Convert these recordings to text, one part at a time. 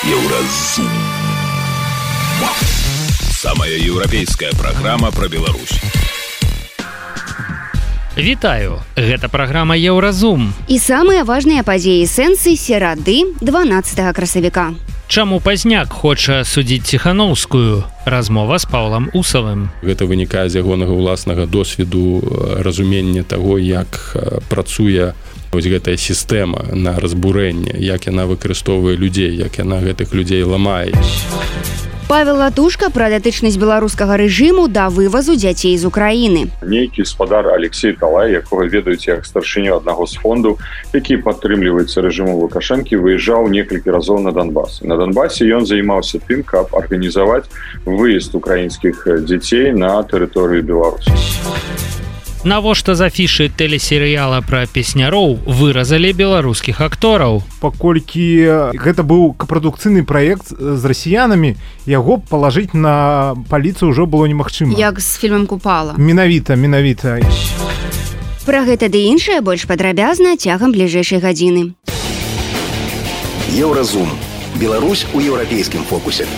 Еўразум. Самая еўрапейская праграма пра Беларусь. Вітаю, гэта праграма Еўразум. І самыя важныя падзеі сэнсы серады 12 красавіка. Чаму Пазняк хоча судзіць Ціханаўскую? Размова з Паўлам Усавым. Гэта вынікае з ягонага ўласнага досведу, разумення таго, як працуе вось гэтая сістэма на разбурэнне, як яна выкарыстоўвае людзей, як яна гэтых людзей ламае. Павел Латушка пра датычнасць беларускага рэжыму да вывазу дзяцей з Украіны. Нейкі спадар Алексей Талай, якога ведаюць як старшыню аднаго з фондаў, які падтрымліваецца рэжыму Лукашэнкі, выязджаў некалькі разоў на Донбас. На Донбасе ён займаўся тым, каб арганізаваць выезд украінскіх дзяцей на тэрыторыю Беларусі. Навошта з афішы тэлесерыяла пра песняроў выразалі беларускіх актораў? Паколькі гэта быў капрадукцыйны праект з расіянамі, яго палажыць на паліцыю ўжо было немагчыма. Як з фільмам «Купала». Менавіта. Пра гэта ды іншае больш падрабязна цягам бліжэйшай гадзіны. Еўразум. Беларусь у еўрапейскім фокусе.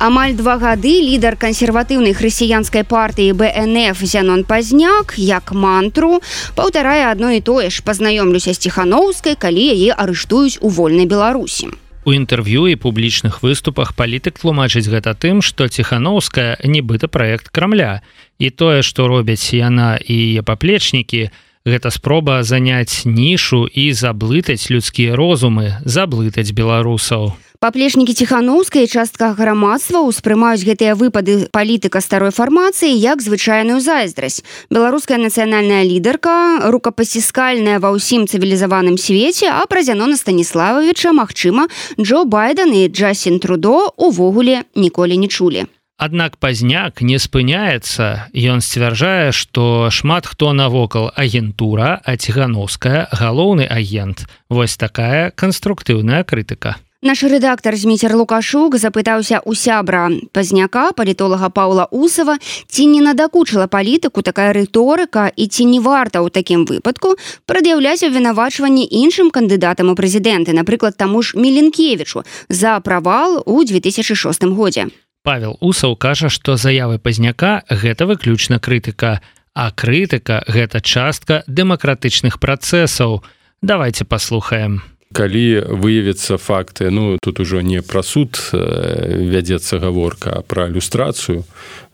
Амаль 2 гады лідар кансерватыўнай хрысціянскай партыі БНФ Зянон Пазняк, як мантру, паўтарае адно і тое ж: пазнаёмлюся з Ціханаўскай, калі яе арыштуюць у вольнай Беларусі. У інтэрв'ю і публічных выступах палітык тлумачыць гэта тым, што Ціханаўская нібыта праект Крамля. І тое, што робяць яна і яе паплечнікі, гэта спроба заняць нішу і заблытаць людскія розумы, заблытаць беларусаў. Паплечнікі Ціханаўскай і частка грамадства ўспрымаюць гэтыя выпады палітыка старой фармацыі як звычайную зайздрасць. Беларуская нацыянальная лідарка, рукапасціскальная ва ўсім цывілізаваным свеце, а пра Зянона Станіслававіча, магчыма, Джо Байден і Джастін Трудо увогуле ніколі не чулі. Аднак Пазняк не спыняецца. Ён сцвярджае, што шмат хто навокал агентура, а Ціханаўская – галоўны агент. Вось такая канструктыўная крытыка. Наш рэдактар Зміцер Лукашук запытаўся ў сябра Пазняка, палітолага Паўла Усава, ці не надакучыла палітыку такая рыторыка і ці не варта ў такім выпадку прад'яўляць абвінавачванні іншым кандыдатам у прэзідэнты, напрыклад, таму ж Міленкевічу, за правал у 2006 годзе. Павел Усаў кажа, што заявы Пазняка – гэта выключна крытыка, а крытыка – гэта частка дэмакратычных працэсаў. Давайте паслухаем. Калі выявіцца факты, тут ужо не пра суд вядзецца гаворка, а пра люстрацыю,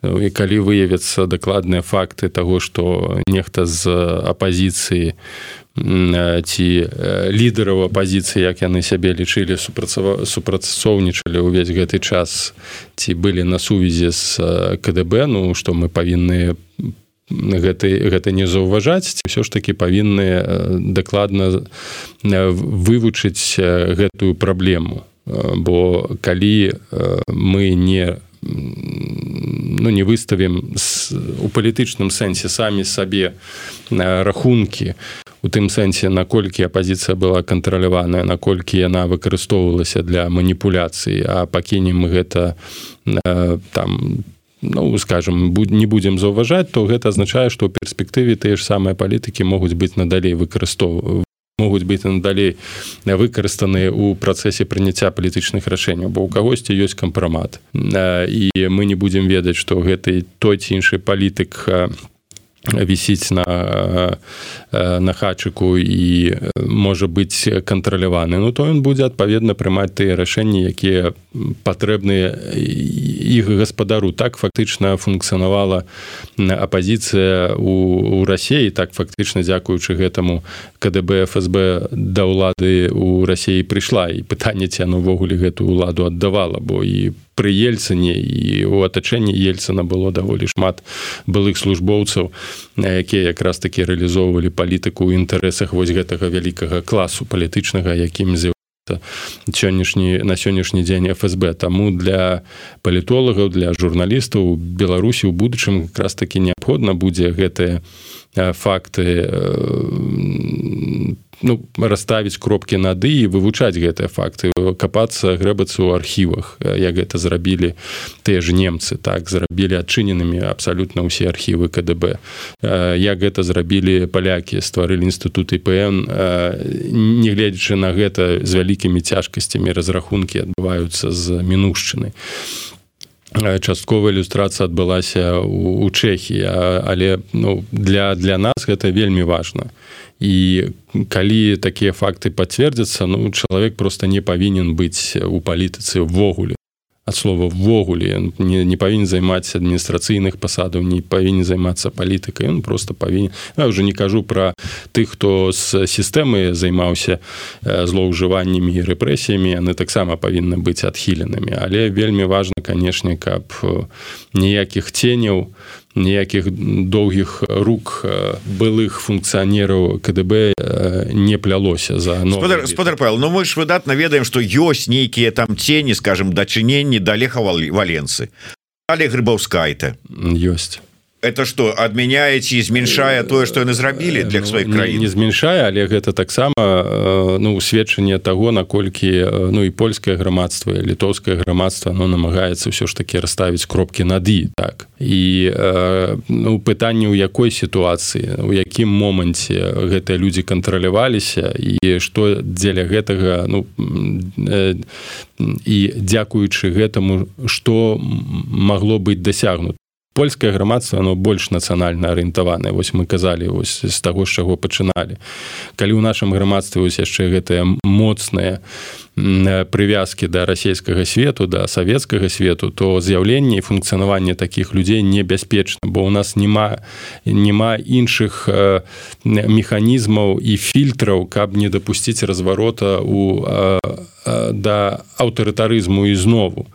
і калі выявяцца дакладныя факты таго, што нехта з апазіцыі ці лідараў апазіцыі, як яны сябе лічылі, супрацоўнічалі ўвесь гэты час, ці былі на сувязі з КДБ, што мы павінны гэта не заўважаць, ці ўсё ж такі павінны дакладна вывучыць гэтую праблему. Бо калі мы не выставім у палітычным сэнсе самі сабе рахункі, у тым сэнсе, наколькі апазіцыя была кантраляваная, наколькі яна выкарыстоўвалася для маніпуляцый, а пакінем гэта не будзем заўважаць, то гэта азначае, што ў перспектыве тыя ж самыя палітыкі могуць быць надалей выкарыстаныя ў працэсе прыняцця палітычных рашэнняў, бо ў кагосьці ёсць кампрамат. І мы не будзем ведаць, што гэты той ці іншы палітык вісіць на хачыку і можа быць кантраляваны, то ён будзе адпаведна прымаць тыя рашэнні, якія патрэбныя іх гаспадару. Так фактычна функцыянавала апазіцыя ў Расіі, так фактычна дзякуючы гэтаму КДБ, ФСБ да ўлады ў Расіі прыйшла, і пытанне, ці яно ўвогуле гэтую ўладу аддавала, бо і пры Ельцыне і ў атачэнні Ельцына было даволі шмат былых службоўцаў, якія якраз такі рэалізоўвалі палітыку ў інтарэсах вось гэтага вялікага класу палітычнага, якім з'яўляецца на сённяшні дзень ФСБ. Таму для палітолагаў, для журналістаў Беларусі ў будучым якраз такі неабходна будзе гэтыя факты расставіць кропкі над «і» і вывучаць гэтыя факты, капацца, грэбацца ў архівах, як гэта зрабілі тыя ж немцы, так, зрабілі адчыненымі абсалютна ўсе архівы КДБ, як гэта зрабілі палякі, стварылі інстытут ІПН, нягледзячы на гэта з вялікімі цяжкасцямі разрахункі адбываюцца з мінуўшчынай. Частковая ілюстрацыя адбылася ў Чэхіі, але для нас гэта вельмі важна. І калі такія факты пацвердзяцца, чалавек проста не павінен быць у палітыцы ўвогуле. Ад слова «ввогуле», не павінен займаць адміністрацыйных пасадаў, не павінен займацца палітыкай, ён проста павінен... Я ўжо не кажу пра тых, хто з сістэмы займаўся злоўжываннямі і рэпрэсіямі, яны таксама павінны быць адхіленымі. Але вельмі важна, канешне, каб ніякіх ценяў, ніякіх доўгіх рук былых функцыянераў КДБ не плялося за новы. Спадар Павел, мы ж выдатна ведаем, што ёсць нейкія там цені, скажем, дачыненні да Леха Валенцы. Але Грыбаўскайта ёсць. Это что, адмяняеце і зменшае тое, што яны зрабілі для сваіх краін? Не зменшае, але гэта таксама сведчанне таго, наколькі і польскае грамадства, і літоўскае грамадства намагаецца ўсё ж такі расставіць кропкі над «і». Так. І пытанне, у якой сітуацыі, у якім моманце гэтыя людзі кантраляваліся і што дзеля гэтага і дзякуючы гэтаму, што магло быць дасягнута. Польскае грамадства, оно больш нацыянальна арыентаванае. Вось мы казалі з таго, з чаго пачыналі. Калі ў нашым грамадстве яшчэ гэтыя моцныя прывязкі да расійскага свету, да савецкага свету, то з'яўленне і функцыянаванне такіх людзей небяспечна, бо ў нас няма іншых механізмаў і фільтраў, каб не дапусціць разварота да аўтарытарызму ізнову.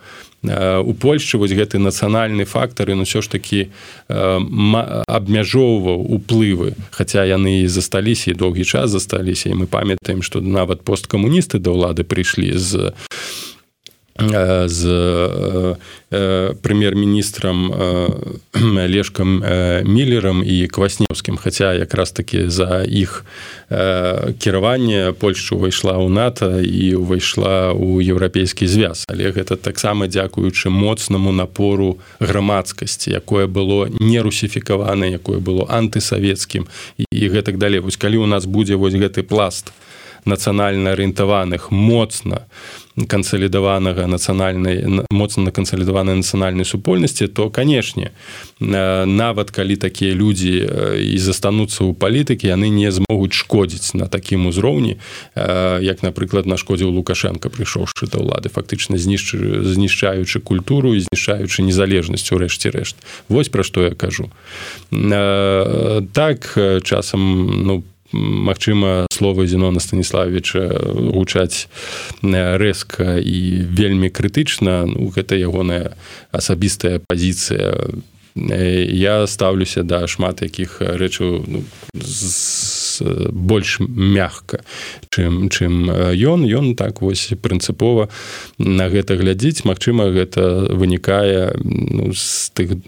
У Польшчы вось гэты нацыянальны фактар, ён усё ж такі абмяжоўваў уплывы, хаця яны і засталіся, і доўгі час засталіся, і мы памятаем, што нават посткамуністы да ўлады прыйшлі з прэм'ер-міністрам Лешкам Міллерам і Кваснеўскім, хаця якраз такі за іх кіраванне Польшча ўвайшла ў НАТО і ўвайшла ў еўрапейскі звяз. Але гэта таксама дзякуючы моцнаму напору грамадскасці, якое было не русіфікаванае, якое было антысавецкім і гэтак далей. Вось калі ў нас будзе вось гэты пласт нацыянальна арыентаваных, моцна кансалідаванай нацыянальнай супольнасці, то, канешне, нават калі такія людзі і застануцца ў палітыкі, яны не змогуць шкодзіць на такім узроўні, як, напрыклад, нашкодзіў Лукашенко, прыйшоўшы да ўлады, фактычна знішчаючы культуру і знішчаючы незалежнасць у рэшце-рэшт. Вось пра што я кажу. Так, часам, магчыма, словы Зенона Станіславовича гучаць рэзка і вельмі крытычна, гэта ягоная асабістая пазіцыя. Я стаўлюся да шмат якіх рэчаў больш мякка, чым ён так вось прынцыпова на гэта глядзіць. Магчыма, гэта вынікае з тых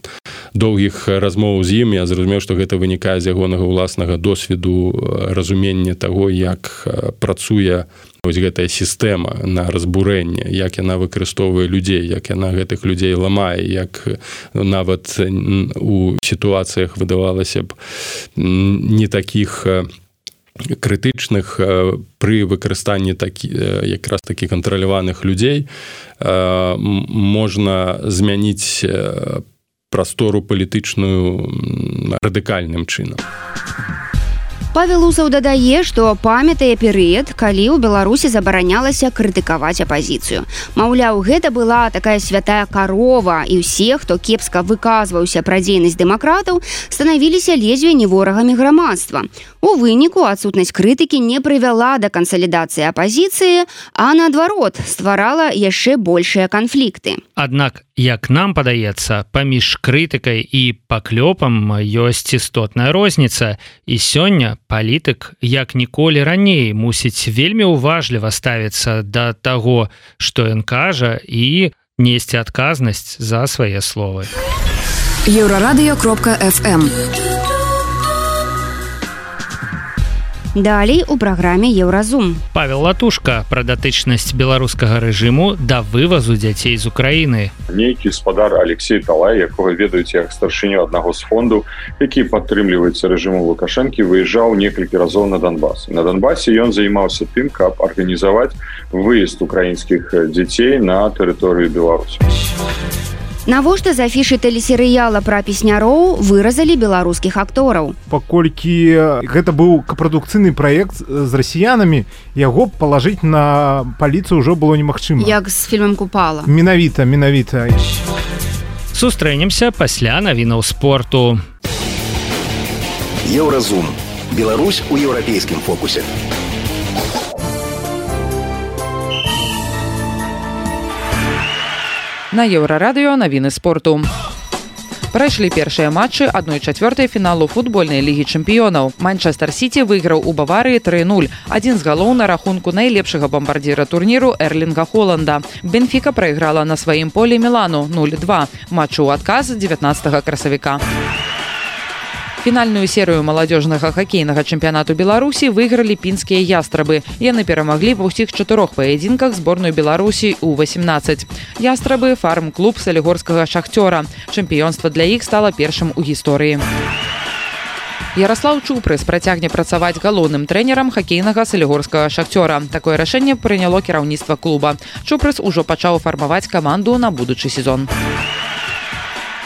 доўгіх размоў з ім. Я зразумеў, што гэта вынікае з ягонага ўласнага досведу, разумення таго, як працуе вось гэтая сістэма на разбурэнне, як яна выкарыстоўвае людзей, як яна гэтых людзей ламае, як нават у сітуацыях выдавалася б не такіх крытычных, пры выкарыстанні якраз такі кантраляваных людзей можна змяніць прастору палітычную радыкальным чынам. Павел Усаў дадае, што памятае перыяд, калі ў Беларусі забаранялася крытыкаваць апазіцыю. Маўляў, гэта была такая святая карова, і ўсе, хто кепска выказваўся пра дзейнасць дэмакратаў, станавіліся ледзьве не ворагамі грамадства. У выніку адсутнасць крытыкі не прывяла да кансалідацыі апазіцыі, а наадварот, стварала яшчэ большыя канфлікты. Аднак, як нам падаецца, паміж крытыкай і паклёпам ёсць істотная розніца, і сёння палітык, як ніколі раней, мусіць вельмі уважліва ставіцца да таго, што ён кажа, і несці адказнасць за свае словы. Еўрарадыё.фм Далей у праграме Еўразум. Павел Латушка пра датычнасць беларускага рэжыму да вывазу дзяцей з Украіны. Нейкі спадар Алексей Талай, якога ведаюць як старшыню аднаго з фондаў, які падтрымліваецца рэжыму Лукашэнкі, выязджаў некалькі разоў на Донбас. На Донбасе ён займаўся тым, каб арганізаваць выезд украінскіх дзяцей на тэрыторыю Беларусі. Навошта з афішы тэлесерыяла пра песняроў выразалі беларускіх актораў? Паколькі гэта быў капрадукцыйны праект з расіянамі, яго палажыць на паліцыю ўжо было немагчыма. Як з фільмам Купала. Менавіта. Сустрэнемся пасля навінаў спорту. Еўразум. Беларусь у еўрапейскім фокусе. На Еўрарадыё навіны спорту. Прайшлі першыя матчы 1/4 фіналу футбольнай лігі чэмпіёнаў. Манчестер Сіці выйграў у Баварыі 3-0. Адзін з галоў на рахунку найлепшага бамбардзіра турніру Эрлінга Холланда. Бенфіка прайграла на сваім полі Мілану 0-2. Матч у адказ 19 красавіка. Фінальную серыю маладзёжнага хакейнага чэмпіянату Беларусі выйгралі пінскія ястрабы. Яны перамаглі ва ўсіх 4 паядзінках зборную Беларусі У-18. Ястрабы – фарм-клуб салігорскага шахцёра. Чэмпіёнства для іх стала першым у гісторыі. Ярослаў Чупрыс працягне працаваць галоўным трэнерам хакейнага салігорскага шахцёра. Такое рашэнне прыняло кіраўніцтва клуба. Чупрыс ужо пачаў фармаваць каманду на будучы сезон.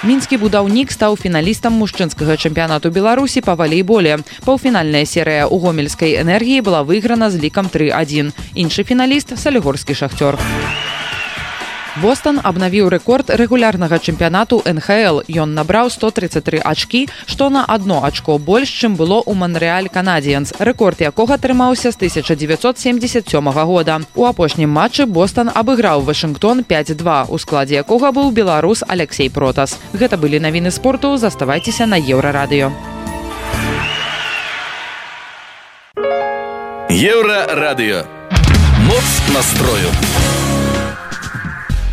Мінскі будаўнік стаў фіналістам мужчынскага чэмпіянату Беларусі па валейболе. Паўфінальная серыя ў гомельскай энергіі была выйграна з лікам 3-1. Іншы фіналіст – салігорскі шахцёр. Бостон абнавіў рэкорд рэгулярнага чэмпіянату НХЛ. Ён набраў 133 ачкі, што на 1 ачко больш, чым было ў Монрэаль Канадзіенс, рэкорд якога трымаўся з 1977 года. У апошнім матчы Бостон абыграў Вашынгтон 5-2, у складзе якога быў беларус Алексей Протас. Гэта былі навіны спорту, заставайцеся на Еўрарадыё. Еўрарадыё. Моц настрою.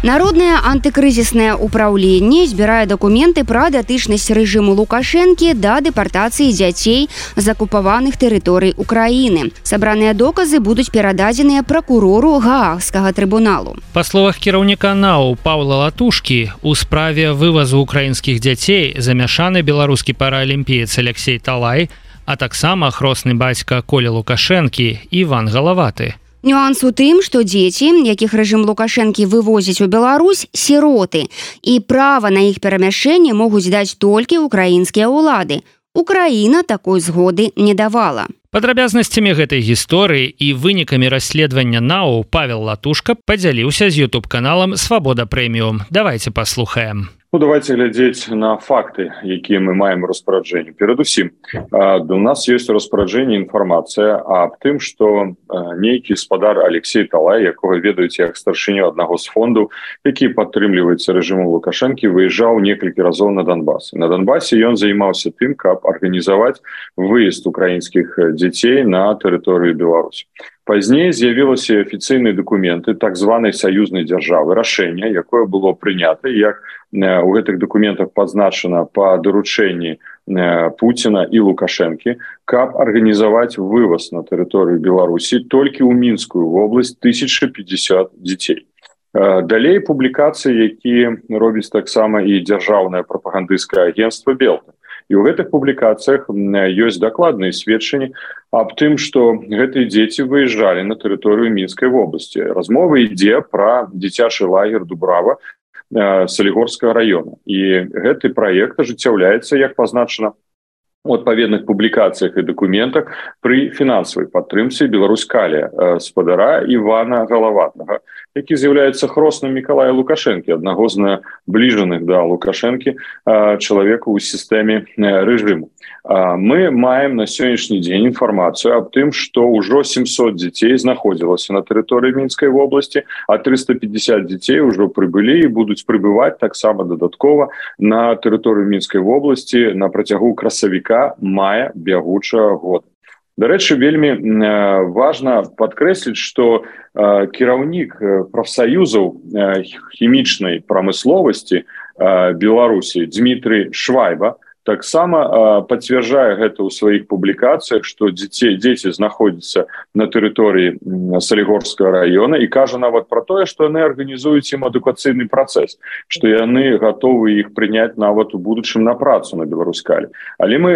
Народнае антыкрызіснае ўпраўленне збірае дакументы пра датычнасць рэжыму Лукашэнкі да дэпартацыі дзяцей з акупаваных тэрыторый Украіны. Сабраныя доказы будуць перададзеныя пракурору Гаагскага трыбуналу. Па словах кіраўніка НАУ Паўла Латушкі, у справе вывазу украінскіх дзяцей замяшаны беларускі паралімпіец Алексей Талай, а таксама хросны бацька Коля Лукашэнкі Іван Галаваты. Нюанс у тым, што дзеці, якіх рэжым Лукашэнкі вывозіць у Беларусь, сіроты, і права на іх перамяшчэнне могуць даць толькі украінскія ўлады. Украіна такой згоды не давала. Падрабязнасцямі гэтай гісторыі і вынікамі расследавання НАУ Павел Латушка падзяліўся з YouTube-каналам «Свабода Прэміум». Давайте паслухаем. Давайте глядзець на факты, якія мы маем у распараджэнні. Перадусім, у нас ёсць распараджэнне інфармацыя аб тым, што нейкі спадар Алексей Талай, якога ведаюць як старшыню аднаго з фондаў, які падтрымліваецца рэжыму Лукашэнкі, выязджаў некалькі разоў на Донбас. На Донбасе ён займаўся тым, каб арганізаваць выезд украінскіх дзяцей на тэрыторыю Беларусі. Пазней з'явіліся афіцыйныя дакументы так званай саюзнай дзяржавы, рашэнне, якое было прынята, як у гэтых дакументах пазначана па даручэнні Пуціна і Лукашэнкі, каб арганізаваць вываз на тэрыторыю Беларусі толькі ў Мінскую вобласць 1050 дзяцей. Далей публікацыі, якія робіць таксама і дзяржаўнае прапагандысцкае агенцтва Белта. І ў гэтых публікацыях ёсць дакладныя сведчанні аб тым, што гэтыя дзеці выязджалі на тэрыторыю Мінскай вобласці. Размова ідзе пра дзіцячы лагер Дубрава Салігорскага района. І гэты праект ажыццяўляецца, як пазначана у адпаведных публікацыях і дакументах, пры фінансавай падтрымцы Беларуськалія спадара Івана Галаватага, які з'яўляецца хросным Мікалая Лукашэнкі, аднаго з набліжаных да Лукашэнкі чалавека ў сістэме рэжыму. Мы маем на сённяшні дзень інфармацыю аб тым, што ўжо 700 дзяцей знаходзілася на тэрыторыі Мінскай вобласці, а 350 дзяцей ўжо прыбылі і будуць прыбываць таксама дадаткова на тэрыторыю Мінскай вобласці на працягу красавіка-мая бягучага года. Дарэчы, вельмі важна падкрэсліць, што кіраўнік прафсаюзаў хімічнай прамысловасці Беларусі Дмітрий Швайба таксама пацвярджае гэта ў сваіх публікацыях, што дзеці знаходзяцца на тэрыторыі Салігорскага района і кажа нават пра тое, што яны арганізуюць ім адукацыйны працэс, што яны гатовы іх прыняць нават у будучым на працу на Беларускалі. Але мы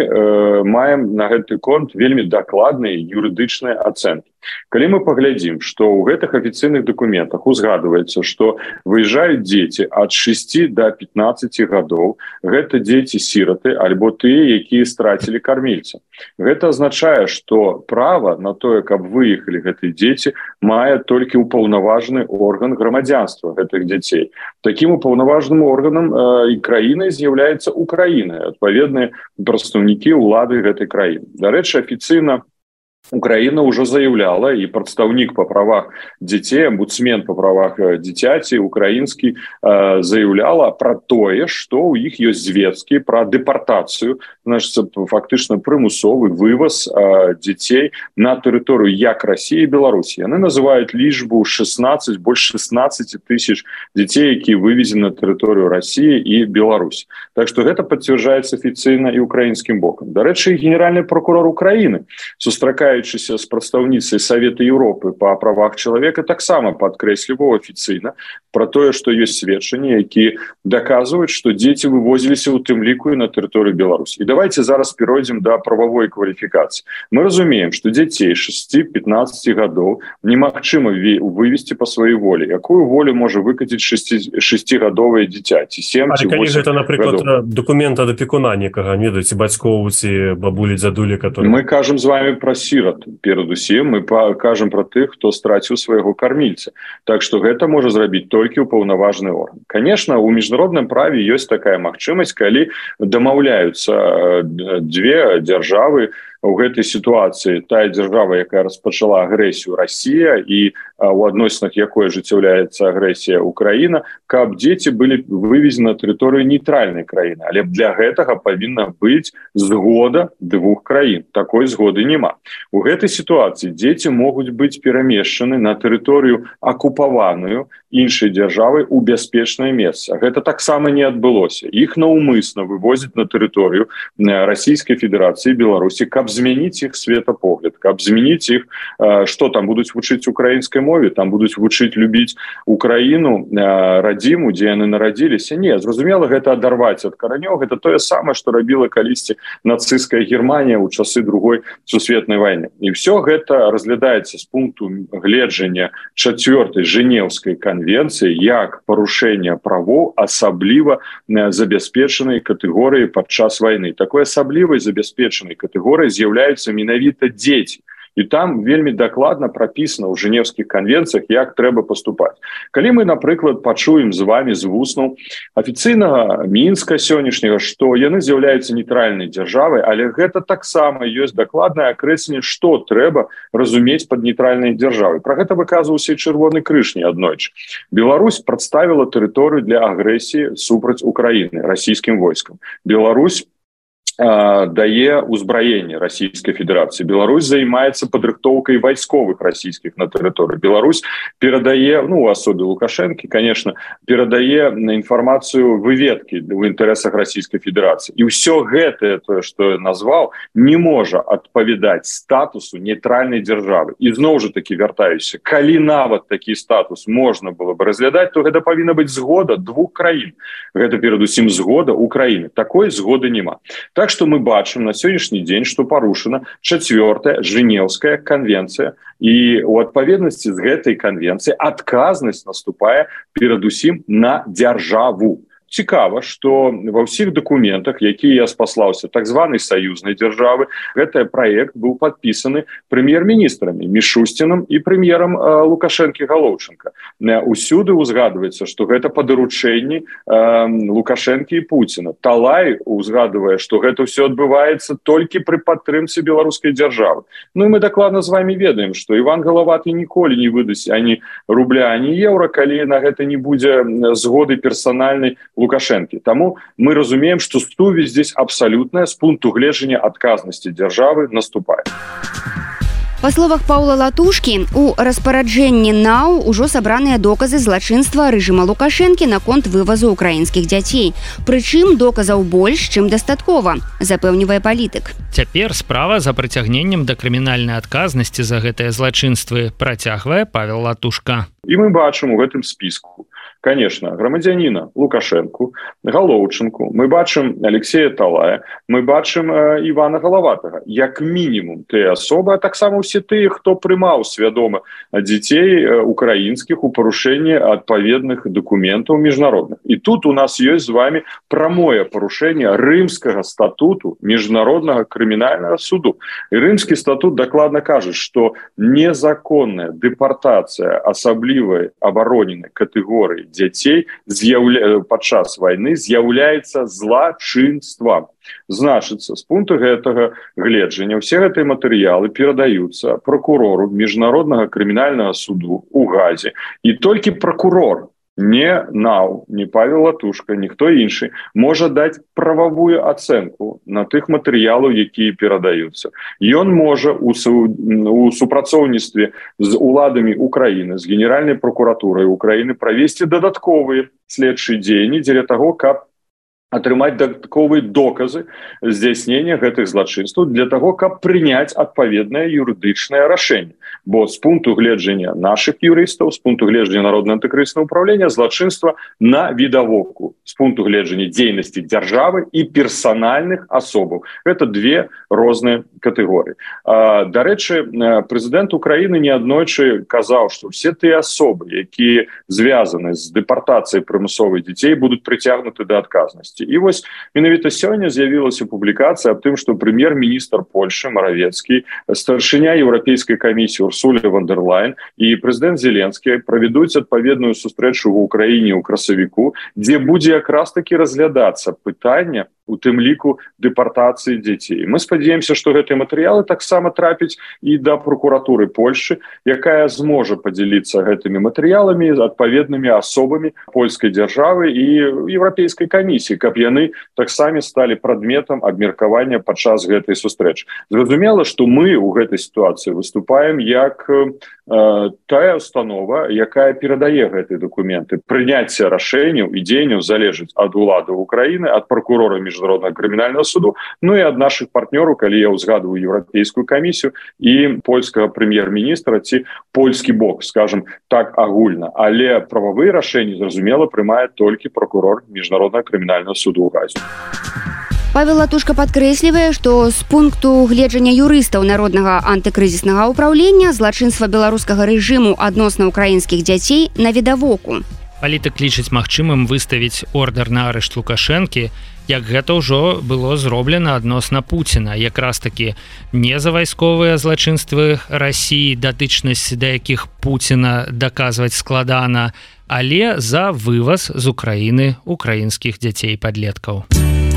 маем на гэты конт вельмі дакладныя юрыдычныя ацэнкі. Калі мы паглядзім, што ў гэтых афіцыйных дакументах узгадваецца, што выязджаюць дзеці ад 6 до 15 гадоў, гэта дзеці-сіраты альбо тыя, якія страцілі кармільца. Гэта азначае, што права на тое, каб выехалі гэтыя дзеці, мае толькі ўпаўнаважаны орган грамадзянства гэтых дзяцей. Такім упаўнаважаным органам і краінай з'яўляецца Украіна, адпаведныя прадстаўнікі ўлады гэтай краіны. Дарэчы, афіцыйна Украина уже заявляла, и представник по правах детей, омбудсмен по правах дзіцяці украинский заявляла про тое, что у іх ёсць звесткі про депортацию, значит, фактично прымусовы вывоз детей на территорию як России и Беларуси. Они называют лічбу 16, больше 16 тысяч детей, якія вывезены на территорию России и Беларуси. Так что это подтверждается официально и украинским боком. Дарэчы, генеральный прокурор Украины, сустракаючыся з прадстаўніцай Савета Еўропы па правах чалавека, таксама падкрэсліваў афіцыйна пра тое, што ёсць сведчанні, якія даказваюць, што дзеці вывозіліся ў тым ліку і на тэрыторыю Беларусі. І давайте зараз перайдзем да прававой кваліфікацыі. Мы разумеем, што дзяцей 6-15 гадоў немагчыма вывезці па сваёй волі. Якую волю можа выкаціць 6-гадовае дзіця ці 7 ці 8 гадоў? Але калі гэта, напрыклад, дакумент ад апекуна некага, не ведаеце, бацькоў ці бабулі, дзядулі, которые... Мы кажам з вами пра сірат. Перадусім мы кажам пра тых, хто страціў свайго кармільца. Так што гэта можа зрабіць толькі ўпаўнаважаны орган. Конечно, у міжнародным праве ёсць такая магчымасць, калі дамаўляюцца дзве дзяржавы у гэтай сітуацыі. Тая дзяржава, якая распачала агрэсію, Расія, і у адносінах якой ажыццяўляецца агрэсія Украіна, каб дзеці былі вывезены на тэрыторыю нейтральнай краіны. Але для гэтага павінна быць згода двух краін. Такой згоды няма. У гэтай сітуацыі дзеці могуць быць перамешчаны на тэрыторыю акупаваную іншай дзяржавай у бяспечнае месца. Гэта таксама не адбылося. Іх наўмысна вывозяць на тэрыторыю Расійскай Федэрацыі, Беларусі, каб змяніць іх светапогляд, каб змяніць іх, што там будуць вучыць украінскай мове, там будуць вучыць любіць Украіну, радзіму, дзе яны нарадзіліся. Не, зразумела, гэта адарваць ад каранёў. Гэта тое самае, што рабіла калісьці нацысцкая Германія ў часы Другой сусветнай вайны. І ўсё гэта разглядаецца з пункту гледжання 4-й Жэнеўскай канвенцыі як парушэнне правоў асабліва забяспечанай катэгорыі падчас вайны. Такой асаблівай забяспечанай катэгорыяй з'яўляюцца менавіта дзеці. І там вельмі дакладна прапісана ў Жэнеўскіх канвенцыях, як трэба паступаць. Калі мы, напрыклад, пачуем з вами з вуснаў афіцыйнага Мінска сённяшняга, што яны з'яўляюцца нейтральнай дзяржавай, але гэта таксама ёсць дакладнае акрэсленне, што трэба разумець пад нейтральнай дзяржавай. Пра гэта выказваўся і Чырвоны крыж не аднойчы. Беларусь прадставіла тэрыторыю для агрэсіі супраць Украіны расійскім войскам. Беларусь дае ўзбраенне Расійскай Федэрацыі. Беларусь займаецца падрыхтоўкай вайсковых расійскіх на тэрыторыі. Беларусь перадае, у асобе Лукашэнкі, конечно, перадае інфармацыю выведкі ў інтарэсах Расійскай Федэрацыі. І ўсё гэтае, тое, што я назваў, не можа адпавядаць статусу нейтральнай дзяржавы. І зноў жа такі вяртаюся, калі нават такі статус можна было бы разглядаць, то гэта павінна быць згода двух краін. Гэта перадусім згода Украіны. Такой згоды няма. Так што мы бачым на сённяшні дзень, што парушана 4-я Жэнеўская канвенцыя, і ў адпаведнасці з гэтай канвенцыяй адказнасць наступае перадусім на дзяржаву. Цікава, што ва ўсіх дакументах, якія я спаслаўся так званай саюзнай дзяржавы, гэты праект быў падпісаны прэм'ер-міністрамі Мішусціным і прэм'ерам Лукашэнкі Галоўчынка. Усюды узгадваецца, што гэта па даручэнні Лукашэнкі і Пуціна. Талай узгадвае, што гэта ўсё адбываецца толькі пры падтрымцы беларускай дзяржавы. І мы дакладна з вами ведаем, што Іван Галаваты ніколі не выдасць ані рубля, ані еўра, калі на гэта не будзе згоды персанальнай Лукашэнкі. Таму мы разумеем, што сувязь здесь абсалютная з пункту гледжання адказнасці дзяржавы наступае. Па словах Паўла Латушкі, у распараджэнні НАУ ўжо сабраныя доказы злачынства рэжыма Лукашэнкі наконт вывазу украінскіх дзяцей. Прычым доказаў больш, чым дастаткова, запэўнівае палітык. Цяпер справа за прыцягненнем да крымінальнай адказнасці за гэтыя злачынствы працягвае Павел Латушка. І мы бачым у гэтым спіску, конечно, грамадзяніна Лукашэнку, Галоўчынку, мы бачым Алексея Талая, мы бачым Івана Галаватага. Як мінімум тыя асобы, а таксама ўсе тыя, хто прымаў свядома дзяцей украінскіх у парушэнні адпаведных дакументаў міжнародных. І тут у нас ёсць з вами прамое парушэнне Рымскага статуту міжнароднага крымінальнага суду. І Рымскі статут дакладна кажа, што незаконная дэпартацыя асаблівай абароненай катэгорыі дзяцей падчас вайны з'яўляецца злачынствам. Значыцца, з пункту гэтага гледжання ўсе гэтыя матэрыялы перадаюцца пракурору міжнароднага крымінальнага суду ў Газе. І толькі пракурор, не НАУ, не Павел Латушка, ніхто іншы, можа даць прававую ацэнку на тых матэрыялаў, якія перадаюцца. Ён можа у супрацоўніцтве з уладамі Украіны, з Генеральнай прокуратурай Украіны правесці дадатковыя следчыя дзеянні дзеля таго, каб атрымаць дадатковыя доказы здзяйснення гэтых злачынстваў для таго, каб прыняць адпаведнае юрыдычнае рашэнне. Бо з пункту гледжання наших юрыстаў, з пункту гледжання Народнага антыкрызіснага ўправлення злачынства на відавоку, з пункту гледжання дзейнасці дзяржавы і персанальных асобаў. Гэта две розныя катэгорыі. Дарэчы, прэзідэнт Украіны неаднойчы казаў, што ўсе тыя асобы, якія звязаны з дэпартацыяй прымусовых дзяцей, будуць прыцягнуты да адказнасці. І вось менавіта сёння з'явілася публікацыя аб тым, што прэм'ер-міністр Польшы Маравецкі, старшыня Еўрапейскай камісіі Урсуля фон дер Лайн і прэзідэнт Зеленскі правядуць адпаведную сустрэчу ў Украіне ў красавіку, дзе будзе якраз такі разглядацца пытанне у тым ліку дэпартацыі дзяцей. Мы спадзяемся, што гэтыя матэрыялы таксама трапяць і да прокуратуры Польшы, якая зможа падзяліцца гэтымі матэрыяламі з адпаведнымі асобамі польскай дзяржавы і Еўрапейскай камісіі, каб яны таксама сталі прадметам абмеркавання падчас гэтай сустрэчы. Зразумела, што мы ў гэтай сітуацыі выступаем як тая установа, якая перадае гэтыя дакументы. Прыняцце рашэнняў і дзеянняў залежыць ад улады Украіны, ад прокурора міжнароднага крымінальнага суду, ну і ад нашых партнёраў, калі я ўзгадваю Еўрапейскую камісію і польскага прэм'ер-міністра ці польскі бок, скажем так, агульна. Але прававыя рашэнні, зразумела, прымае толькі прокурор міжнароднага крымінальнага суду ў Газе. Павел Латушка падкрэслівае, што з пункту гледжання юрыстаў Народнага антыкрызіснага ўправлення злачынства беларускага рэжыму адносна украінскіх дзяцей на відавоку. Палітык лічыць магчымым выставіць ордэр на арышт Лукашэнкі, як гэта ўжо было зроблена адносна Пуціна. Якраз такі не за вайсковыя злачынствы Расіі, датычнасць да якіх Пуціна даказваць складана, але за вываз з Украіны украінскіх дзяцей-падлеткаў.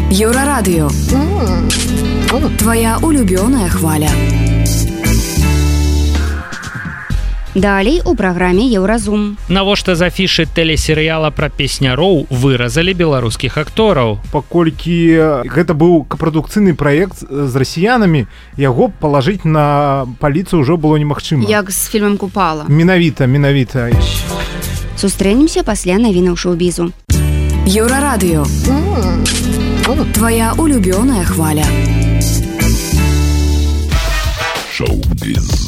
Еўрарадыё. Твоя улюбёная хваля. Далей у праграме Еўразум. Навошта з афішы тэлесерыяла пра песняроў выразалі беларускіх актораў? Паколькі гэта быў капрадукцыйны праект з расіянамі, яго палажыць на паліцыю ўжо было немагчыма. Як з фільмам Купала. Менавіта. Сустрэнемся пасля навінаў шоу-бізу. Еўрарадыё. Твоя улюбёная хваля. Шоу-біз.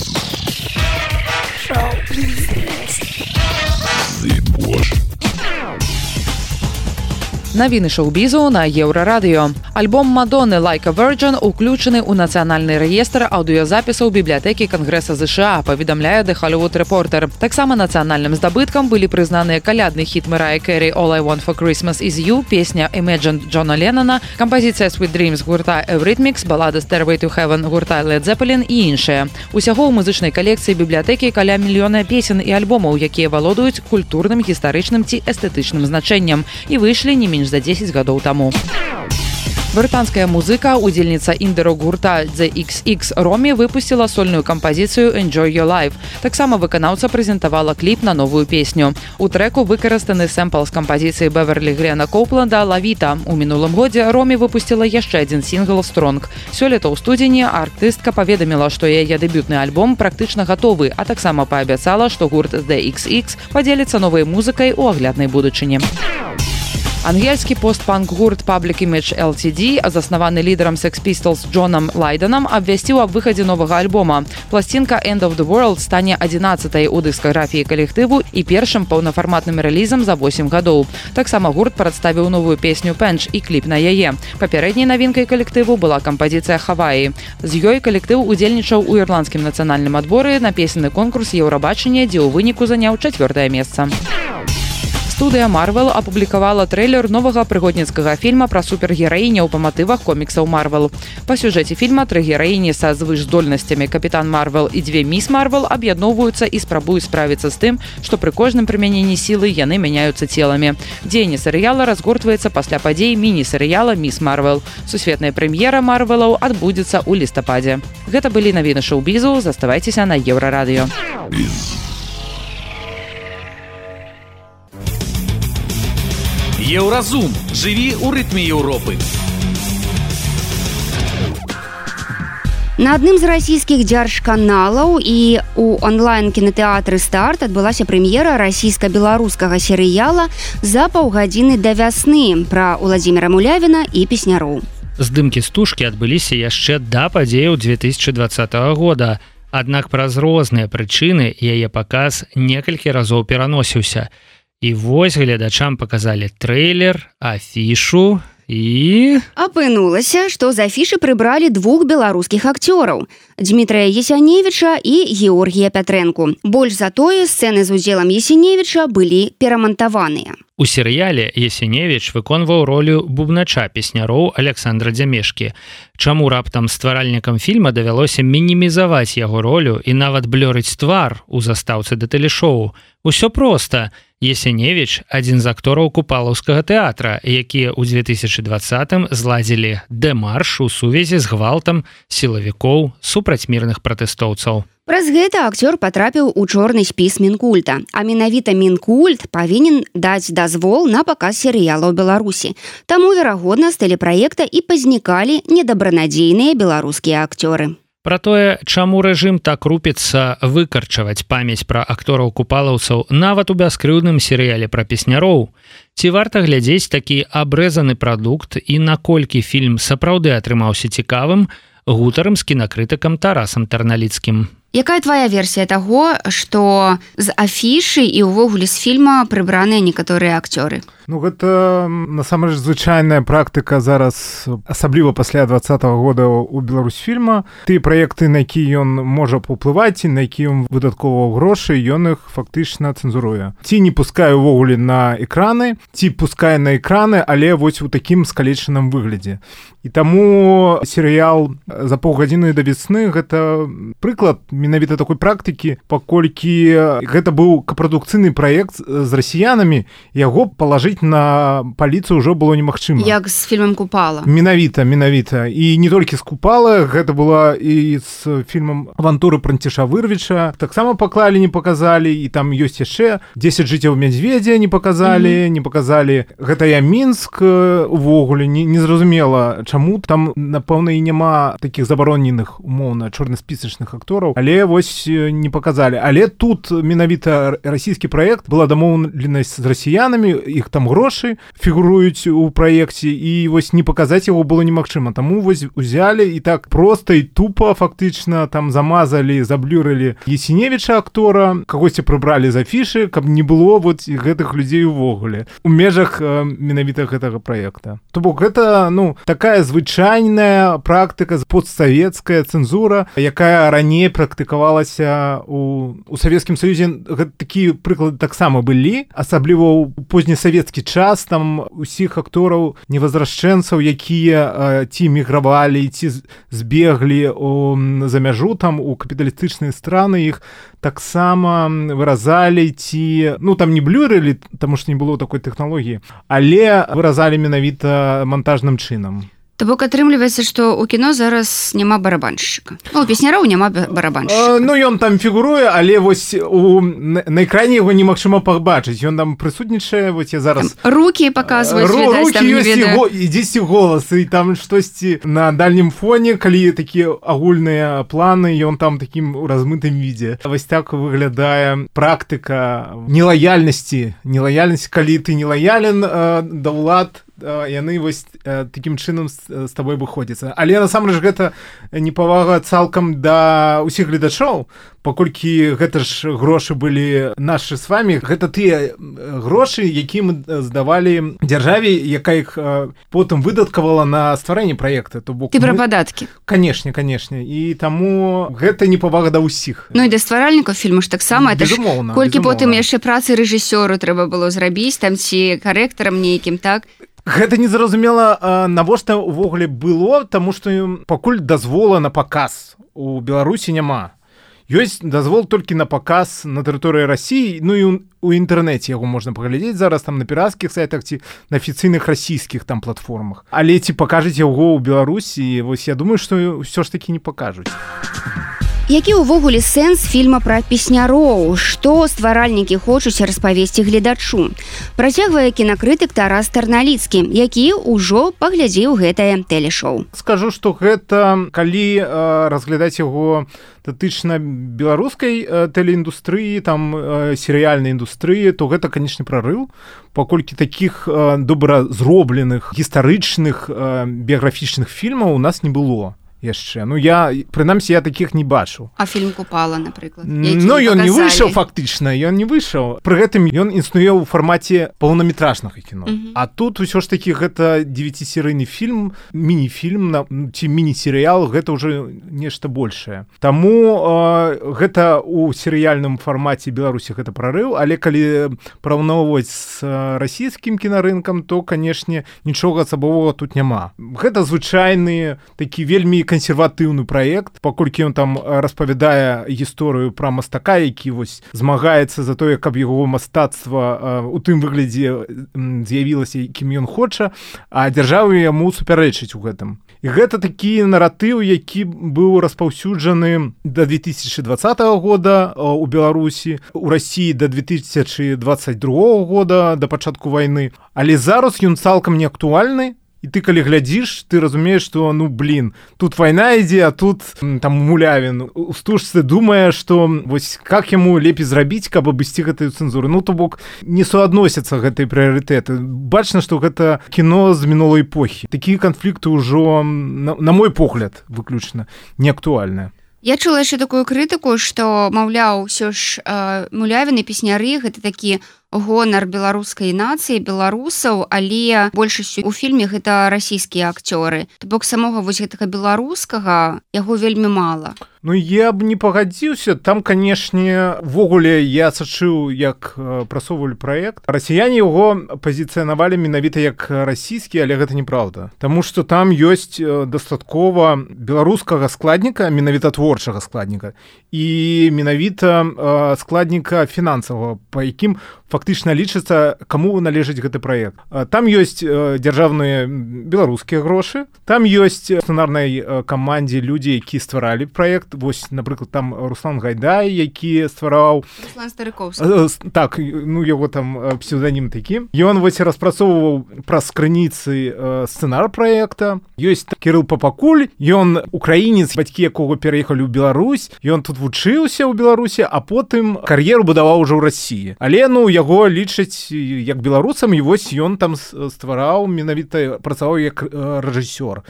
Навіны шоу-бізу на Еўрарадыё. Альбом Мадонны «Like a Virgin» уключаны ў нацыянальны рэестр аўдыёзапісаў бібліятэкі Кангрэса ЗША, паведамляе The Hollywood Reporter. Таксама нацыянальным здабыткам былі прызнаныя калядны хіт Мэрайі Кэрі «All I Want for Christmas is You», песня «Imagine» Джона Леннона, кампазіцыя «Sweet Dreams» гурта Eurythmics, балада «Stairway to Heaven» гурта Led Zeppelin і іншыя. Усяго ў музычнай калекцыі бібліятэкі каля мільёна песен і альбомаў, якія валодаюць культурным, гістарычным ці эстэтычным значэннем і выйшлі не менш за 10 гадоў таму. Брытанская музыка, удзельніца інды-рок-гурта The XX Ромі выпусціла сольную кампазіцыю Enjoy Your Life. Таксама выканаўца прэзентавала кліп на новую песню. У трэку выкарыстаны сэмпл з кампазіцыі Беверлі Грэна Коупланда «Лавіта». У мінулым годзе Ромі выпусціла яшчэ адзін сінгл «Стронг». Сёлета ў студзені артыстка паведаміла, што яе дэбютны альбом практычна гатовы, а таксама паабяцала, што гурт The XX падзеліцца новай музыкай у агляднай будучыні. Ангельскі постпанк гурт Public Image LTD, заснаваны лідарам Sex Pistols Джонам Лайденам, абвясціў аб выхадзе новага альбома. Пласцінка End of the World стане 11-й у дыскаграфіі калектыву і першым паўнафарматным рэлізам за 8 гадоў. Таксама гурт прадставіў новую песню «Пенч» і кліп на яе. Папярэдняй навінкай калектыву была кампазіцыя «Хаваі». З ёй калектыў удзельнічаў у ірландскім нацыянальным адборы на песенны конкурс Еўрабачання, дзе ў выніку заняў 4-е месца. Студыя Marvel апублікавала трэйлер новага прыгодніцкага фільма пра супергераіняў па матывах коміксаў Marvel. Па сюжэце фільма 3 гераіні са звышздольнасцямі Капітан Марвел і 2 міс Марвел аб'ядноўваюцца і спрабуюць справіцца з тым, што пры кожным прымяненні сілы яны мяняюцца целамі. Дзеянне серыяла разгортваецца пасля падзей міні-серыяла «Міс Марвел». Сусветная прэм'ера Марвелаў адбудзецца ў лістападзе. Гэта былі навіны шоу-бізу, заставайцеся на Еўрарадыё. Еўразум. Жыві ў рытме Еўропы. На адным з расійскіх дзяржканалаў і у онлайн-кінатэатры «Старт» адбылася прэм'ера расійска-беларускага серыяла «За паўгадзіны да вясны» пра Уладзіміра Мулявіна і песняроў. Здымкі стужкі адбыліся яшчэ да падзеяў 2020 года, аднак праз розныя прычыны яе паказ некалькі разоў пераносіўся. І вось гледачам паказалі трэйлер, афішу і... Апынулася, што з афішы прыбралі 2 беларускіх акцёраў – Дмітрая Есяневіча і Георгія Пятрэнку. Больш за тое, сцэны з удзелам Есяневіча былі перамантаваныя. У серыяле Есяневіч выконваў ролю бубнача песняроў Александра Дзямешкі. Чаму раптам стваральнікам фільма давялося мінімізаваць яго ролю і нават блёрыць твар у застаўцы да тэлешоу? Усё проста. Есяневіч – адзін з актораў купалаўскага тэатра, якія ў 2020-м зладзілі дэмарш у сувязі з гвалтам сілавікоў супраць мірных пратэстоўцаў. Праз гэта акцёр патрапіў у чорны спіс Мінкульта, а менавіта Мінкульт павінен даць дазвол на паказ серыяла ў Беларусі. Таму, верагодна, з тэлепраекта і пазнікалі недабранадзейныя беларускія акцёры. Пра тое, чаму рэжым так рупіцца выкарчаваць памяць пра актораў-купалаўцаў нават у бяскрыўдным серыяле пра песняроў, ці варта глядзець такі абрэзаны прадукт і наколькі фільм сапраўды атрымаўся цікавым, гутарам з кінакрытыкам Тарасам Тарналіцкім. Якая твоя версія таго, што з афішы і ўвогуле з фільма прыбраныя некаторыя акцёры? Ну, гэта насамрэч звычайная практыка зараз, асабліва пасля 20-го года у Беларусьфільма. Тыя праекты, на які ён можа паўплываць і на які ён выдаткоўваў грошы, ён іх фактычна цэнзуруе. Ці не пускае ўвогуле на экраны, ці пускае на экраны, але вось у такім скалечаным выглядзе. І таму серыял «За паўгадзіны да вясны» гэта прыклад менавіта такой практыкі, паколькі гэта быў капрадукцыйны праект з расіянамі, яго палажыць на паліцу ўжо было немагчыма. Як з фільмам «Купала». Менавіта. І не толькі з «Купала», гэта была і з фільмам «Авантуры Прантіша Вырвіча». Таксама паклалі, не паказалі, і там ёсць яшчэ 10 жыццяў мядзведзя не паказалі, не паказалі. Гэта я Мінск увогуле, незразумела, чаму. Там, напэўна, і няма такіх забароненых, умоўна, чорнаспісачных актораў, але вось не паказалі. Але тут менавіта расійскі праект, была дамоўленасць з расіянамі, іх там грошы фігуруюць у праекце, і вось не паказаць яго было немагчыма. Таму вось узялі і так проста і тупа фактычна там замазалі, заблюрылі Есяневіча актора, кагосьці прыбралі з афішы, каб не было вот гэтых людзей увогуле у межах менавіта гэтага праекта. То бок гэта, ну, такая звычайная практыка, постсавецкая цэнзура, якая раней практыкавалася у Савецкім Саюзе. Гэта такія прыклады таксама былі, асабліва ў познесавецкі час, там усіх актораў невазрашчэнцаў, якія ці мігравалі, ці збеглі за мяжу там у капіталістычныя страны, іх таксама выразалі, ці, ну, там не блюрылі, таму што не было такой тэхналогіі, але выразалі менавіта монтажным чынам. То бок атрымліваецца, што ў кіно зараз няма барабаншчыка. Ну, у песняроў няма барабаншчыка. Ну, ён там фігуруе, але вось на экране яго немагчыма пабачыць. Ён там прысутнічае, вось я зараз... Там рукі паказваюць, відаць, там не ведаю. Рукі ёсць, і дзесьці голас, і там штосьці на дальнім фоне, калі такія агульныя планы, ён там такім у размытым відзе. Вось так выглядае практыка нелаяльнасці, калі ты нелаялен да ўлад, яны вось такім чынам з табой выходзяцца. Але насамрэч гэта непавага цалкам да ўсіх гледачоў, паколькі гэта ж грошы былі нашы з вамі, гэта тыя грошы, які мы здавалі дзяржаве, якая іх потым выдаткавала на стварэнне праекта. Ты пра падаткі. Канешне, і таму гэта непавага да ўсіх. Ну і да стваральнікаў фільму ж таксама, это ж колькі потым яшчэ працы рэжысёру трэба было зрабіць, там ці карэктарам нейкім, так? Гэта незразумела, навошта ўвогуле было, таму што пакуль дазвола на паказ у Беларусі няма. Ёсць дазвол толькі на паказ на тэрыторыі Расіі, ну і у інтэрнэце яго можна паглядзець зараз там на пірацкіх сайтах ці на афіцыйных расійскіх там платформах. Але ці пакажуць яго ў Беларусі, вось я думаю, што ўсё ж такі не пакажуць. Які ўвогуле сэнс фільма пра песняроў? Што стваральнікі хочуць распавесці гледачу? Працягвае кінакрытык Тарас Тарналіцкі, які ўжо паглядзеў гэтае тэлешоу. Скажу, што гэта, калі разглядаць яго датычна беларускай тэлеіндустрыі, там серыяльнай індустрыі, то гэта, канечне, прарыў, паколькі такіх добра зробленых гістарычных біяграфічных фільмаў у нас не было яшчэ. Ну, прынамсі, я такіх не бачу. А фільм «Купала», напрыклад? Ну, ён не выйшаў, фактычна, ён не выйшаў. Пры гэтым ён існуе ў фармаце паўнаметражнага кіно. А тут ўсё ж такі гэта 9-серыйны фільм, міні-фільм ці міні-серыял, гэта ўжо нешта большае. Таму гэта ў серыяльным фармаце Беларусі гэта прарыў, але калі параўноўваць з расійскім кінарынкам, то, канешне, нічога асабовага тут няма. Гэта звычайны такі вельмі кансерватыўны праект, паколькі ён там распавядае гісторыю пра мастака, які вось змагаецца за тое, каб яго мастацтва у тым выглядзе з'явілася, якім ён хоча, а дзяржава яму супярэчыць у гэтым. І гэта такі наратыў, які быў распаўсюджаны да 2020 года ў Беларусі, у Расіі да 2022 года, да пачатку вайны. Але зараз ён цалкам не актуальны. І ты, калі глядзіш, ты разумееш, што, тут вайна ідзе, а тут там Мулявін у стужцы думае, што вось как яму лепей зрабіць, каб абысці гэтую цэнзуру. Ну, то бок, не суадносяцца гэтыя прыярытэты. Бачна, што гэта кіно з мінулай эпохі. Такія канфлікты ўжо, на мой погляд, выключна, не актуальныя. Я чула яшчэ такую крытыку, што, маўляў, ўсё ж Мулявін і песняры гэта такі гонар беларускай нацыі, беларусаў, але большасцю у фільме гэта расійскія акцёры. То бок самога вось гэтага беларускага яго вельмі мала. Ну, я б не пагадзіўся. Там, канешне, ввогуле я сачыў, як прасоўвалі праект. Расіяне яго пазіцыянавалі менавіта як расійскі, але гэта неправда. Таму што там ёсць дастаткова беларускага складніка, менавіта творчага складніка, і менавіта складніка фінансавага, па якім фактычна лічыцца, каму належыць гэты праект. Там ёсць дзяржаўныя беларускія грошы, там ёсць сцэнарнай камандзе людзі, які стваралі праект. Вось, напрыклад, там Руслан Гайдай, які ствараў... Руслан Старыковскі. Так, ну, яго там псевданім такі. Ён вось распрацоўваў праз крыніцы сцэнар праекта. Ёсць Кірыл Папакуль, ён украінец, бацькі якога пераехалі ў Беларусь, ён тут вучыўся ў Беларусі, а потым кар'еру будаваў ужо ў Расіі. Але, яго лічаць як беларусам, і вось ён там ствараў, менавіта працаваў як рэжысёр.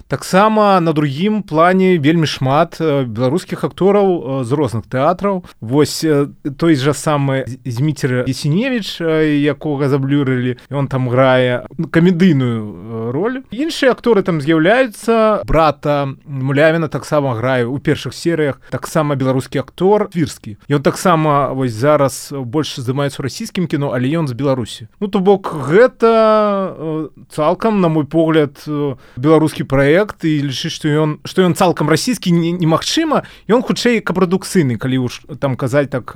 Таксама на другім плане вельмі шмат беларускіх актораў з розных тэатраў. Вось той жа самы Зміцер Ясеневіч, якога заблюрылі, ён там грае камедыйную роль. Іншыя акторы там з'яўляюцца. Брата Мулявіна таксама грае ў першых серыях. Таксама беларускі актор Твірскі. Ён таксама вось зараз больш займаецца ў расійскім кіно, але ён з Беларусі. Ну, то бок, гэта цалкам, на мой погляд, беларускі праект, і лічыць, што ён цалкам расійскі немагчыма, ён хутчэй капрадукцыйны, калі ўж там казаць так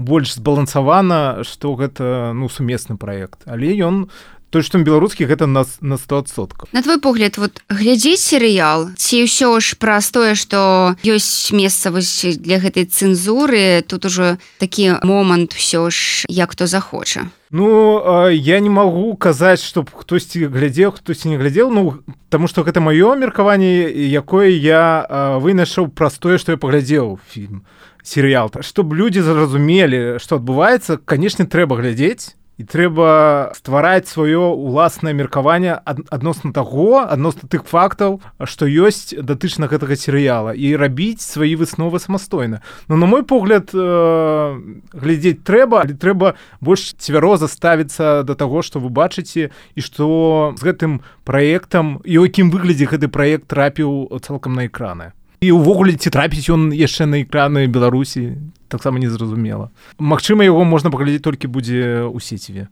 больш збалансавана, што гэта сумесны праект. Але ён то што беларускі гэта на 100%. На твой погляд, вот глядзець серыял ці ўсё ж праз тое, што ёсць месца вось для гэтай цэнзуры, тут ужо такі момант усё ж як хто захоча. Ну, я не магу казаць, што хтосьці глядзеў, хтосьці не глядзеў, ну, таму што гэта маё меркаванне, якое я вынайшаў праз тое, што я паглядзеў фільм, серыял. Чтоб людзі зразумелі, што адбываецца, канешне, трэба глядзець, і трэба ствараць сваё уласнае меркаванне адносна таго, адносна тых фактаў, што ёсць датычна гэтага серыяла, і рабіць свае высновы самастойна. Но, на мой погляд, глядзець трэба, але трэба больш цвяроза ставіцца да таго, што вы бачыце, і што з гэтым праектам, і ў якім выглядзе гэты праект трапіў цалкам на экраны. І ўвогуле, ці трапіць ён яшчэ на экраны Беларусі, таксама незразумела. Магчыма, яго можна паглядзець толькі будзе ў сеціве.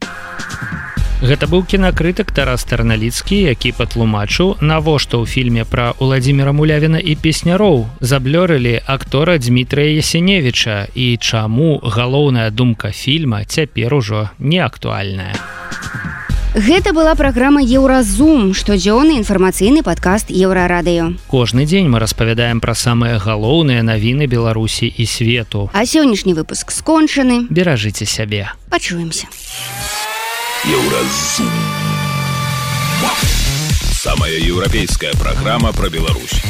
Гэта быў кінакрытык Тарас Тарналіцкі, які патлумачыў, навошта ў фільме пра Уладзіміра Мулявіна і песняроў заблёрылі актора Дмітрыя Ясеневіча і чаму галоўная думка фільма цяпер ужо не актуальная. Гэта была праграма «Еўразум», штодзённы інфармацыйны падкаст «Еўрарадыё». Кожны дзень мы распавядаем пра самыя галоўныя навіны Беларусі і свету. А сённяшні выпуск скончаны. Беражыце сябе. Пачуемся. «Еўразум». Самая еўрапейская праграма пра Беларусь.